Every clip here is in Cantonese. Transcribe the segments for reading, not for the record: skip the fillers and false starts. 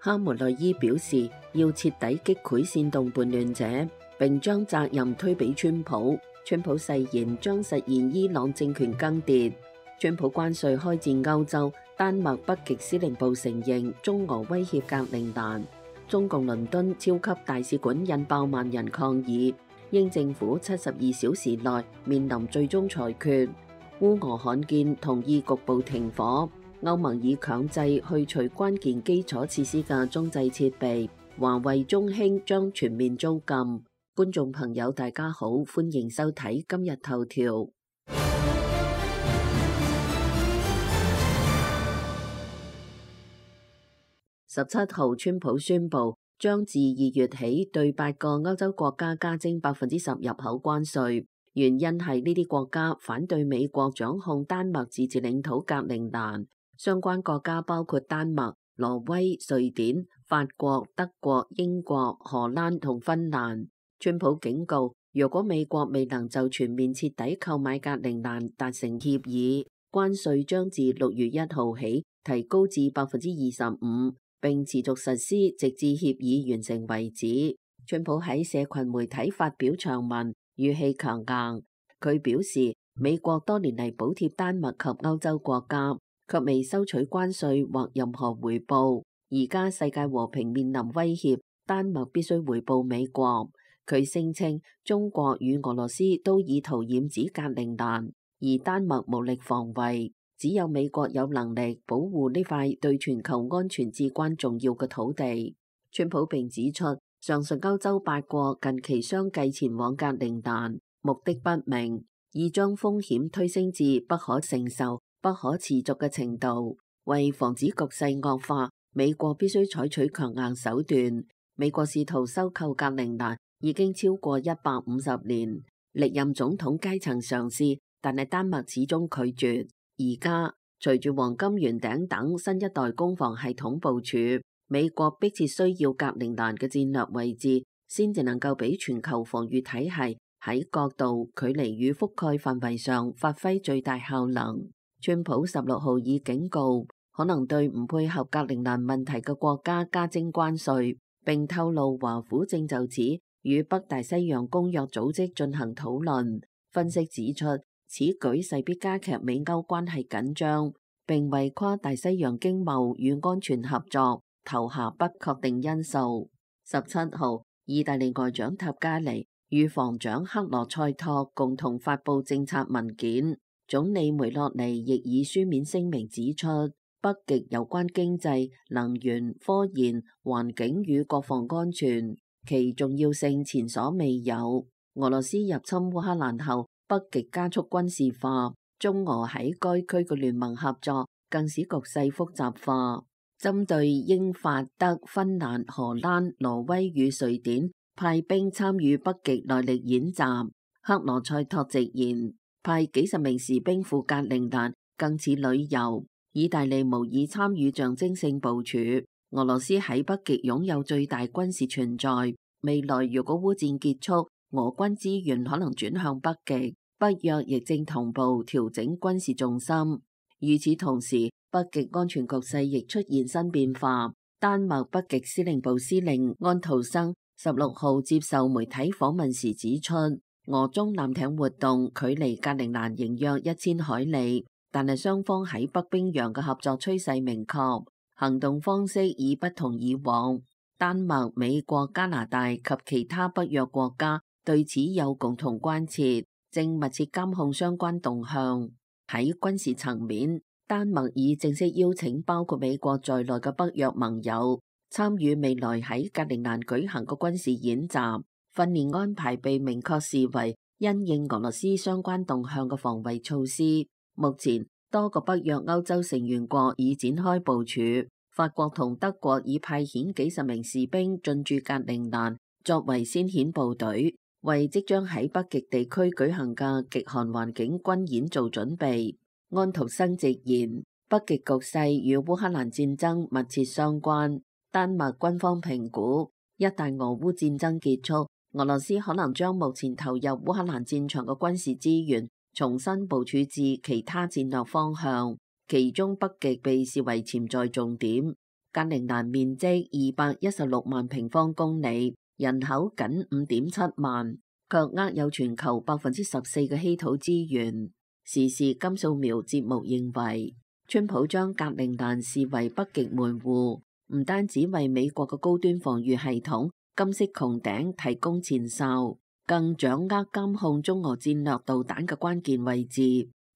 哈梅內伊表示要徹底擊潰煽動叛亂者，並將責任推俾川普。川普誓言將實現伊朗政權更迭。川普關稅開戰歐洲，丹麥北極司令部承認中俄威脅格陵蘭。中共倫敦超級大使館引爆萬人抗議，英政府72小時內面臨最終裁決。烏俄罕見同意局部停火，歐盟以強制去除關鍵基礎設施嘅中製設備，華為、中興將全面遭禁。觀眾朋友大家好，歡迎收睇今日頭條。17號，川普宣布將自2月起對8個歐洲國家加徵10%入口關稅，原因係呢啲國家反對美國掌控丹麥自治領土格陵蘭。相關國家包括丹麥、挪威、瑞典、法國、德國、英國、荷蘭同芬蘭。川普警告，如果美國未能就全面徹底購買格陵蘭達成協議，關稅將自6月1號起提高至25%。並持續實施，直至協議完成為止。川普喺社群媒體發表長文，語氣強硬。佢表示，美國多年嚟補貼丹麥及歐洲國家，卻未收取關稅或任何回報。而家世界和平面臨威脅，丹麥必須回報美國。佢聲稱，中國與俄羅斯都意圖染指格陵蘭，而丹麥無力防衛。只有美國有能力保護呢塊對全球安全至關重要嘅土地。川普並指出，上述歐洲8國近期相繼前往格陵蘭，目的不明，已將風險推升至不可承受、不可持續嘅程度。為防止局勢惡化，美國必須採取強硬手段。美國試圖收購格陵蘭已經超過150年，歷任總統皆曾嘗試，但係丹麥始終拒絕。而家隨住黃金圓頂等新一代攻防系統部署，美國迫切需要格陵蘭嘅戰略位置，先至能夠俾全球防禦體系喺角度、距離與覆蓋範圍上發揮最大效能。川普16號已警告，可能對唔配合格陵蘭問題嘅國家加徵關稅，並透露華府正就此與北大西洋公約組織進行討論。分析指出，此舉勢必加劇美歐關係緊張，並為跨大西洋經貿與安全合作投下不確定因素。17號，意大利外長塔加尼與防長克羅塞托共同發布政策文件，總理梅洛尼亦以書面聲明指出，北極有關經濟、能源、科研、環境與國防安全，其重要性前所未有。俄羅斯入侵烏克蘭後，北極加速軍事化，中俄喺該區嘅聯盟合作更使局勢複雜化。針對英法德、芬蘭、荷蘭、挪威與瑞典派兵參與北極耐力演習，克羅塞托直言，派幾十名士兵赴格陵蘭更似旅遊。意大利無意參與象徵性部署。俄羅斯喺北極擁有最大軍事存在，未來如果烏戰結束，俄軍資源可能轉向北極。北約亦正同步調整軍事重心。與此同時，北極安全局勢亦出現新變化。丹麥北極司令部司令安徒生16號接受媒體訪問時指出，俄中艦艇活動距離格陵蘭仍約1000海里，但係雙方喺北冰洋嘅合作趨勢明確，行動方式已不同以往。丹麥、美國、加拿大及其他北約國家對此有共同關切，正密切監控相關動向。喺軍事層面，丹麥已正式邀請包括美國在內嘅北約盟友參與未來喺格陵蘭舉行嘅軍事演習。訓練安排被明確視為因應俄羅斯相關動向嘅防衛措施。目前多個北約歐洲成員國已展開部署，法國同德國已派遣幾十名士兵進駐格陵蘭作為先遣部隊，為即將喺北極地區舉行嘅極寒環境軍演做準備。安徒生直言，北極局勢與烏克蘭戰爭密切相關。丹麥軍方評估，一旦俄烏戰爭結束，俄羅斯可能將目前投入烏克蘭戰場嘅軍事資源重新部署至其他戰略方向，其中北極被視為潛在重點。格陵蘭面積216萬平方公里，人口僅5.7萬，卻握有全球14%嘅稀土資源。時事金素苗節目認為，川普將格陵蘭視為北極門戶，唔單止為美國嘅高端防禦系統金色穹頂提供前哨，更掌握監控中俄戰略導彈嘅關鍵位置。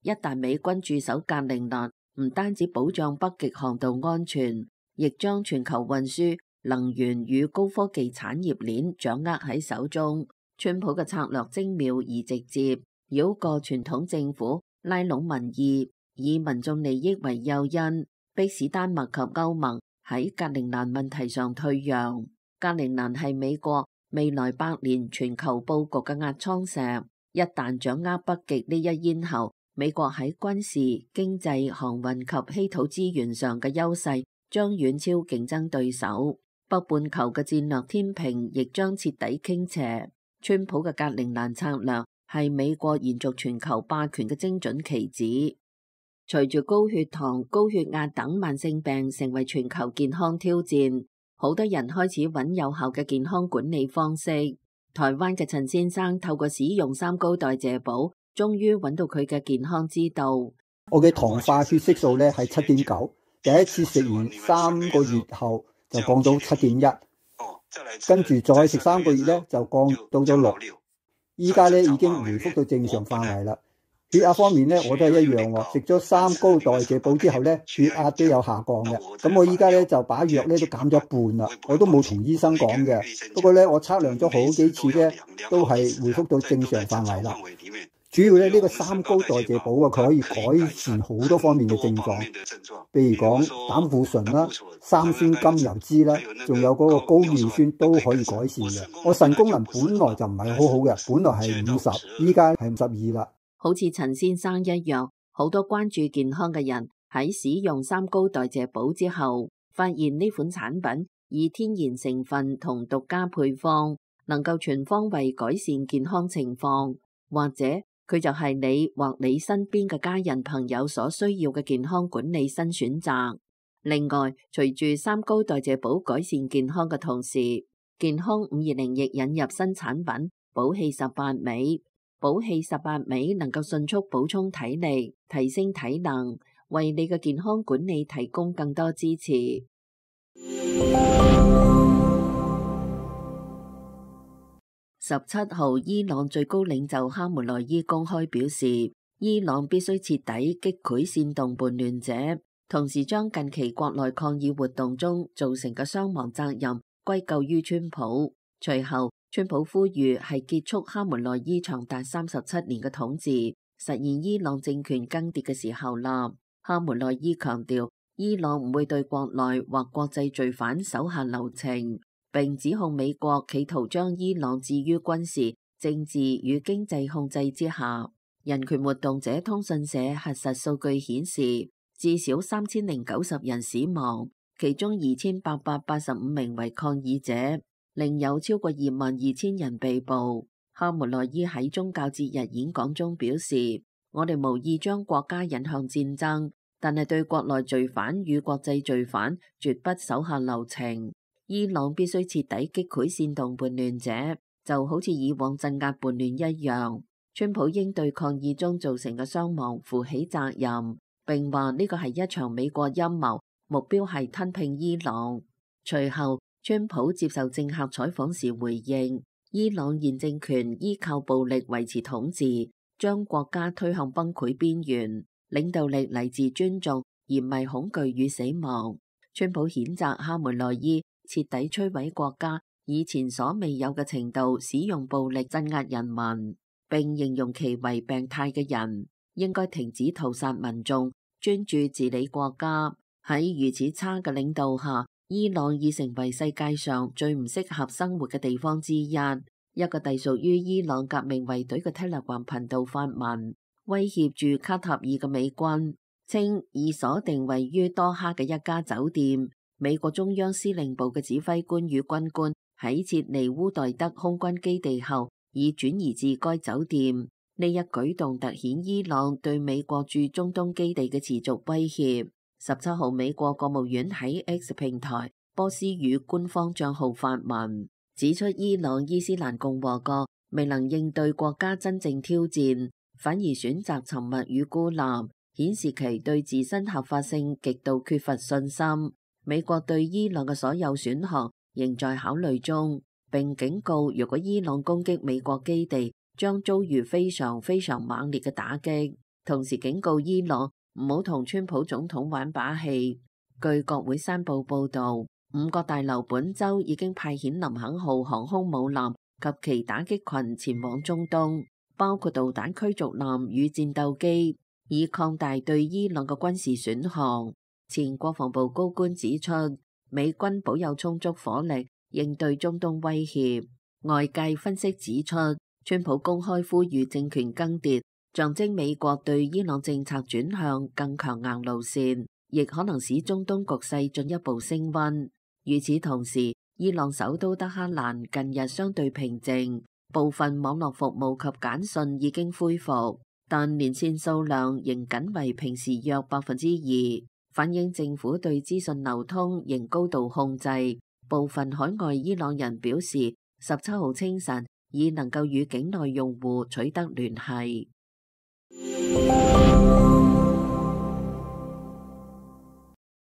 一旦美軍駐守格陵蘭，唔單止保障北極航道安全，亦將全球運輸、能源與高科技產業鏈掌握喺手中。川普嘅策略精妙而直接，繞過傳統政府，拉攏民意，以民眾利益為誘因，迫使丹麥及歐盟喺格陵蘭問題上退讓。格陵蘭係美國未來100年全球佈局嘅壓艙石，一旦掌握北極呢一咽喉，美國喺軍事、經濟、航運及稀土資源上嘅優勢將遠超競爭對手，北半球嘅戰略天平亦將徹底傾斜。川普嘅格陵蘭策略係美國延續全球霸權嘅精準棋子。隨住高血糖、高血壓等慢性病成為全球健康挑戰，好多人開始揾有效嘅健康管理方式。台灣嘅陳先生透過使用3高代謝寶，終於揾到佢嘅健康之道。我嘅糖化血色素咧係7.9，第一次食完3個月後就降到7.1，跟住再食3個月咧就降到咗6，依家咧已經回復到正常範圍啦。血壓方面咧我都係一樣喎，食咗3高代謝寶之後咧血壓都有下降嘅。咁我依家咧就把藥咧都減咗一半啦，我都冇同醫生講嘅。不過咧我測量咗好幾次咧都係回復到正常範圍啦。主要咧呢個3高代謝寶啊，佢可以改善好多方面嘅症狀，譬如講膽固醇啦、三酸甘油酯啦，仲有嗰個高尿酸都可以改善嘅。我腎功能本來就唔係好好嘅，本來係50，依家係52啦。好似陳先生一樣，好多關注健康嘅人喺使用3高代謝寶之後，發現呢款產品以天然成分同獨家配方，能夠全方位改善健康情況，或者佢就係你或你身邊嘅家人朋友所需要嘅健康管理新選擇。另外，隨住3高代謝寶改善健康嘅同時，健康520亦引入新產品寶氣18味。寶氣18味能夠迅速補充體力，提升體能，為你嘅健康管理提供更多支持。17號，伊朗最高領袖哈梅內伊公開表示，伊朗必須徹底擊潰煽動叛亂者，同時將近期國內抗議活動中造成嘅傷亡責任歸咎於川普。隨後，川普呼籲係結束哈梅內伊長達37年嘅統治，實現伊朗政權更迭嘅時候啦。哈梅內伊強調，伊朗唔會對國內或國際罪犯手下留情，並指控美國企圖將伊朗置於軍事、政治與經濟控制之下。人權活動者通訊社核實數據顯示，至少3090人死亡，其中2885名為抗議者。另有超過22000人被捕。哈梅內伊喺宗教節日演講中表示，我哋無意將國家引向戰爭，但係對國內罪犯與國際罪犯絕不手下留情。伊朗必須徹底擊潰煽動叛亂者，就好似以往鎮壓叛亂一樣。川普應對抗議中造成嘅傷亡負起責任，並話呢個係一場美國陰謀，目標係吞併伊朗。隨後，川普接受政客採訪時回應，伊朗現政權依靠暴力維持統治，將國家推向崩潰邊緣。領導力嚟自尊重，而唔係恐懼與死亡。川普譴責哈梅內伊徹底摧毀國家，以前所未有嘅程度使用暴力鎮壓人民，並形容其為病態嘅人，應該停止屠殺民眾，專注治理國家。喺如此差嘅領導下，伊朗已成為世界上最唔適合生活嘅地方之一。一個隸屬於伊朗革命衛隊嘅 Telegram 頻道發文，威脅住卡塔爾嘅美軍，稱已鎖定位於多哈嘅一家酒店。美國中央司令部嘅指揮官與軍官喺撤離烏代德空軍基地後，已轉移至該酒店。呢一舉動凸顯伊朗對美國駐中東基地嘅持續威脅。17號，美國國務院喺 X 平台波斯語官方帳號發文，指出伊朗伊斯蘭共和國未能應對國家真正挑戰，反而選擇沉默與孤立，顯示其對自身合法性極度缺乏信心。美國對伊朗嘅所有選項仍在考慮中，並警告如果伊朗攻擊美國基地，將遭遇非常猛烈嘅打擊。同時警告伊朗唔好同川普總統玩把戲。據國會山報報導，5角大樓本週已經派遣林肯號航空母艦及其打擊群前往中東，包括導彈驅逐艦與戰鬥機，以擴大對伊朗嘅軍事選項。前國防部高官指出，美軍保有充足火力應對中東威脅。外界分析指出，川普公開呼籲政權更迭，象徵美國對伊朗政策轉向更強硬路線，亦可能使中東局勢進一步升溫。與此同時，伊朗首都德黑蘭近日相對平靜，部分網絡服務及簡訊已經恢復，但連線數量仍僅為平時約2%，反映政府對資訊流通仍高度控制。部分海外伊朗人表示，17號清晨已能夠與境內用戶取得聯繫。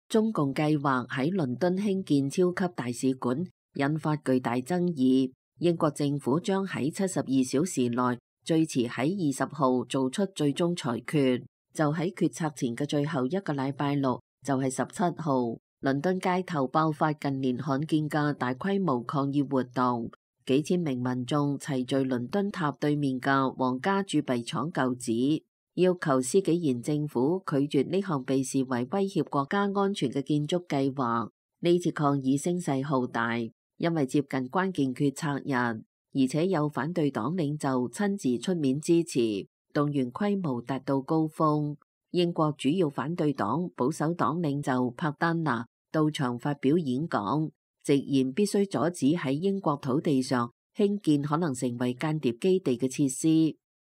中共計劃喺倫敦興建超級大使館，引發巨大爭議。英國政府將喺72小時內，最遲喺20號做出最終裁決。就喺決策前嘅最後一個禮拜六，就係17號，倫敦街頭爆發近年罕見嘅大規模抗議活動，幾千名民眾齊聚倫敦塔對面嘅皇家鑄幣廠舊址，要求施紀賢政府拒絕呢項被視為威脅國家安全嘅建築計劃。呢次抗議聲勢浩大，因為接近關鍵決策日，而且有反對黨領袖親自出面支持，動員規模達到高峰。英國主要反對黨保守黨領袖柏丹拿到場發表演講，直言必須阻止喺英國土地上興建可能成為間諜基地嘅設施。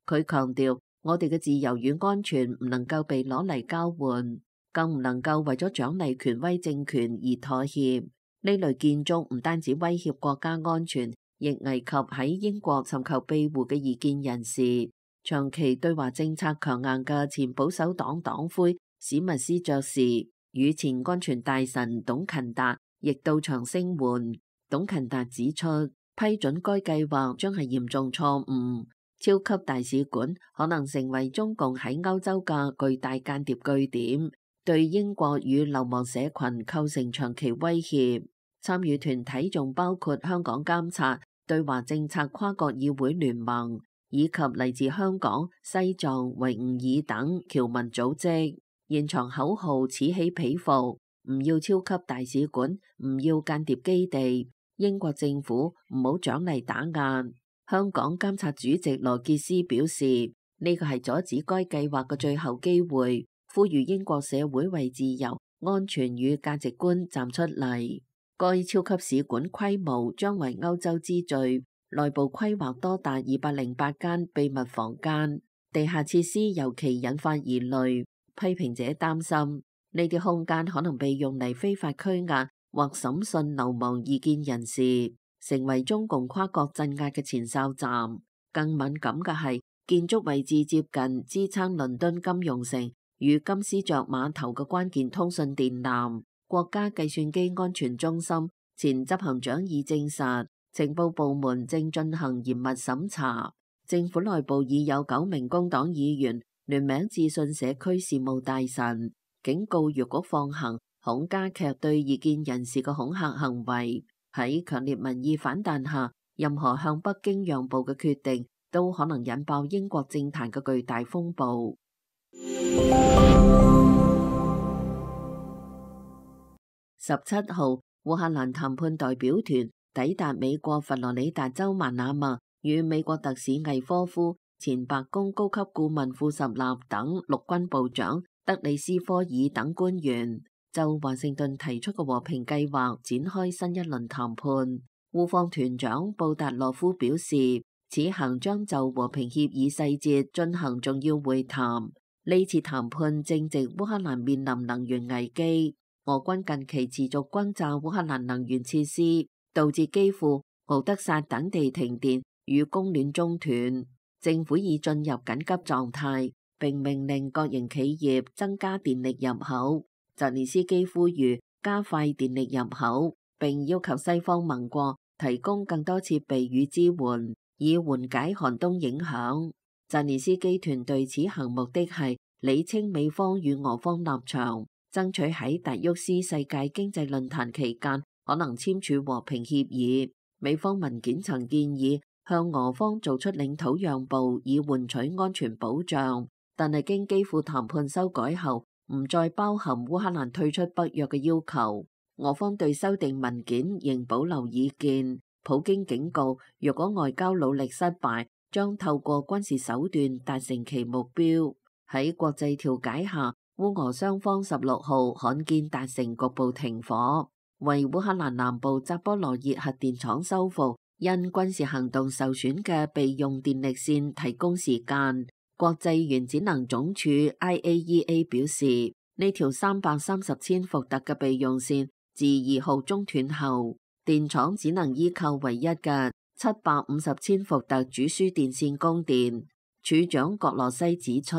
佢強調，我哋嘅自由與安全唔能夠被攞嚟交換，更唔能夠為咗獎勵權威政權而妥協。呢類建築唔單止威脅國家安全，亦危及喺英國尋求庇護嘅異見人士。長期對華政策強硬嘅前保守黨黨魁史密斯爵士與前安全大臣董勤達亦到場聲援。董勤達指出，批准該計劃將係嚴重錯誤，超級大使館可能成為中共喺歐洲嘅巨大間諜據點，對英國與流亡社群構成長期威脅。參與團體仲包括香港監察對華政策跨國議會聯盟，以及嚟自香港、西藏、維吾爾等僑民組織。現場口號此起彼伏，唔要超級大使館，唔要間諜基地，英國政府唔好獎勵打壓。香港監察主席羅傑斯表示，呢個係阻止該計劃嘅最後機會，呼籲英國社會為自由、安全與價值觀站出嚟。該超級使館規模將為歐洲之最，內部規劃多達208間秘密房間，地下設施尤其引發疑慮。批評者擔心呢啲空間可能被用嚟非法拘押或審訊流亡異見人士，成為中共跨國鎮壓嘅前哨站。更敏感嘅係，建築位置接近支撐倫敦金融城與金絲雀碼頭嘅關鍵通訊電纜。國家計算機安全中心前執行長已證實，情報部門正進行嚴密審查。政府內部已有9名工黨議員聯名致信社區事務大臣，警告若果放行，恐加劇對異見人士嘅恐嚇行為。喺強烈民意反彈下，任何向北京讓步嘅決定都可能引爆英國政壇嘅巨大風暴。17號，烏克蘭談判代表團抵達美國佛羅里達州曼阿默，與美國特使魏科夫、前白宮高級顧問庫什納等陸軍部長德里斯科爾等官員就華盛頓提出嘅和平計劃展開新一輪談判。烏方團長布達洛夫表示，此行將就和平協議細節進行重要會談。呢次談判正值烏克蘭面臨能源危機，俄軍近期持續轟炸烏克蘭能源設施，導致基輔、敖德薩等地停電與供暖中斷。政府已進入緊急狀態，並命令國營企業增加電力入口。澤連斯基呼籲加快電力入口，並要求西方盟國提供更多設備與支援，以緩解寒冬影響。澤連斯基團隊此行目的係理清美方與俄方立場，爭取喺達沃斯世界經濟論壇期間可能簽署和平協議。美方文件曾建議向俄方做出領土讓步，以換取安全保障，但係經基輔談判修改後，唔再包含烏克蘭退出北約嘅要求。俄方對修訂文件仍保留意見。普京警告，若果外交努力失敗，將透過軍事手段達成其目標。喺國際調解下，烏俄雙方16號罕見達成局部停火，為烏克蘭南部扎波羅熱核電廠修復因軍事行動受損嘅備用電力線提供時間。國際原子能總署 IAEA 表示，呢條330千伏特嘅備用線自2號中斷後，電廠只能依靠唯一嘅750千伏特主輸電線供電。處長葛羅西指出，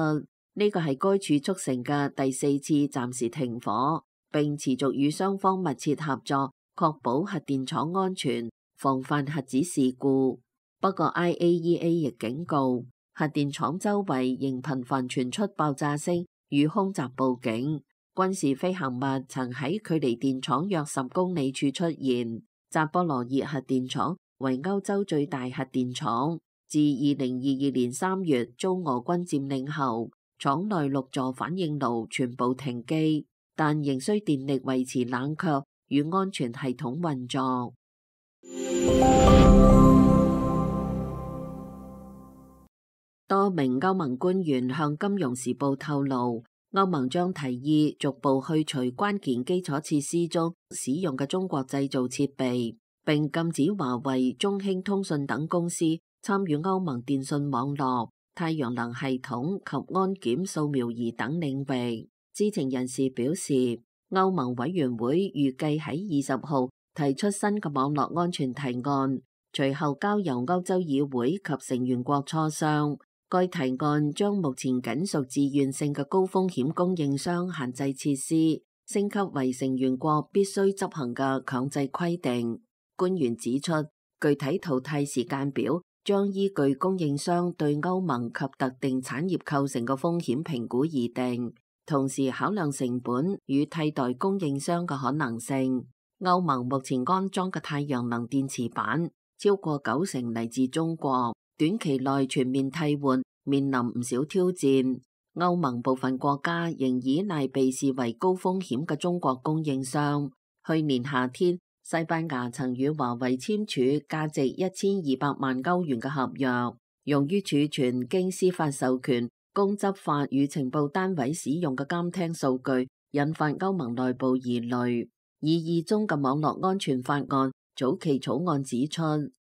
呢個係該處促成嘅第4次暫時停火，並持續與雙方密切合作，確保核電廠安全，防範核子事故。不過 IAEA 亦警告，核電廠周圍仍頻繁傳出爆炸聲與空襲報警。軍事飛行物曾喺距離電廠約10公里處出現。扎波羅熱核電廠為歐洲最大核電廠，自2022年3月遭俄軍佔領後，廠內6座反應爐全部停機，但仍需電力維持冷卻與安全系統運作。多名歐盟官員向《金融時報》透露，歐盟將提議逐步去除關鍵基礎設施中使用嘅中國製造設備，並禁止華為、中興通訊等公司參與歐盟電信網絡、太陽能系統及安檢掃描儀等領域。知情人士表示，歐盟委員會預計喺20號提出新嘅網絡安全提案，隨後交由歐洲議會及成員國磋商。該提案將目前僅屬自願性嘅高風險供應商限制設施升級為成員國必須執行嘅強制規定。官員指出，具體淘汰時間表將依據供應商對歐盟及特定產業構成嘅風險評估而定，同時考量成本與替代供應商嘅可能性。歐盟目前安裝嘅太陽能電池板超過90%嚟自中國，短期內全面替換面臨唔少挑戰。歐盟部分國家仍依賴被視為高風險嘅中國供應商。去年夏天，西班牙曾與華為簽署價值1200萬歐元嘅合約，用於儲存經司法授權供執法與情報單位使用嘅監聽數據，引發歐盟內部疑慮。擬議中嘅網絡安全法案早期草案指出，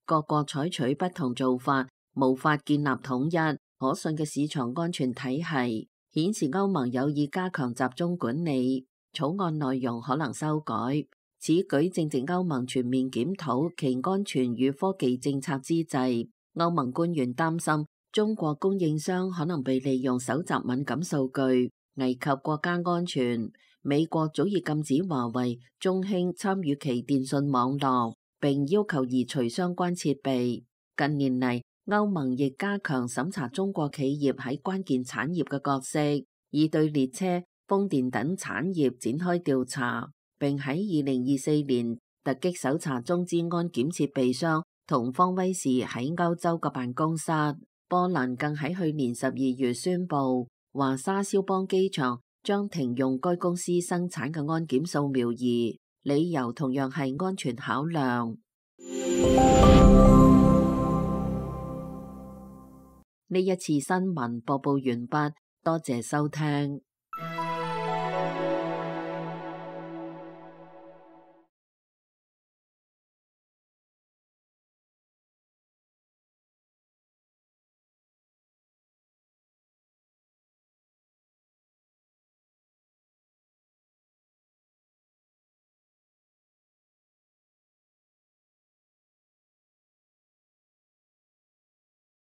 各國採取不同做法，無法建立統一可信嘅市場安全體系，顯示歐盟有意加強集中管理。草案內容可能修改。此舉正值歐盟全面檢討其安全與科技政策之際。歐盟官員擔心中國供應商可能被利用搜集敏感數據，危及國家安全。美國早已禁止華為、中興參與其電信網絡，並要求移除相關設備。近年嚟，歐盟亦加強審查中國企業喺關鍵產業嘅角色，以對列車、風電等產業展開調查，並喺2024年突擊搜查中資安檢設備商同方威視喺歐洲嘅辦公室。波蘭更喺去年12月宣布，華沙肖邦機場將停用該公司生產嘅安檢掃描儀，理由同樣係安全考量。呢一次新聞播報完畢，多謝收聽。